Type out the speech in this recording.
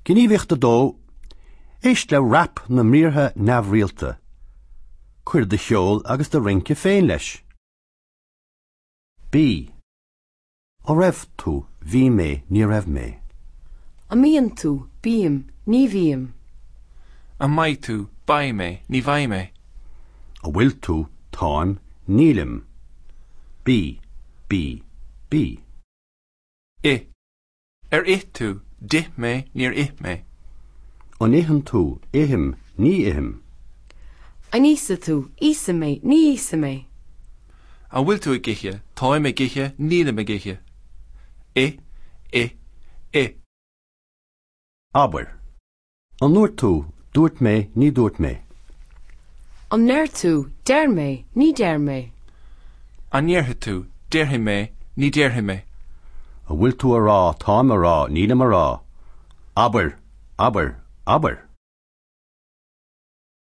Gníomhaíocht 2, Éist le rap na mbriathra neamhrialta. Cuir do cheol agus do rince féin leis. B. An raibh tú, bhí mé, ní raibh mé. An mbíonn tú, bím, ní bhím. An mbeidh tú, beidh mé, ní bheidh mé. An bhfuil tú, táim, nílim. B. B. B. I. Ar ith tú, d'ith mé, níor ith mé. An itheann tú, ithim, ní ithim. An íosfaidh tú, íosfaidh mé, ní íosfaidh mé. An bhfuil tú ag ithe, táim ag ithe, nílim ag ithe. I. I. I. Abair. An ndúirt tú, dúirt mé, ní dúirt mé. An ndeir tú, deir mé, ní deir mé. An ndéarfaidh tú, déarfaidh mé, ní déarfaidh mé. An bhfuil tú a rá, táim a rá, nílim a rá. Abair! Abair! Abair!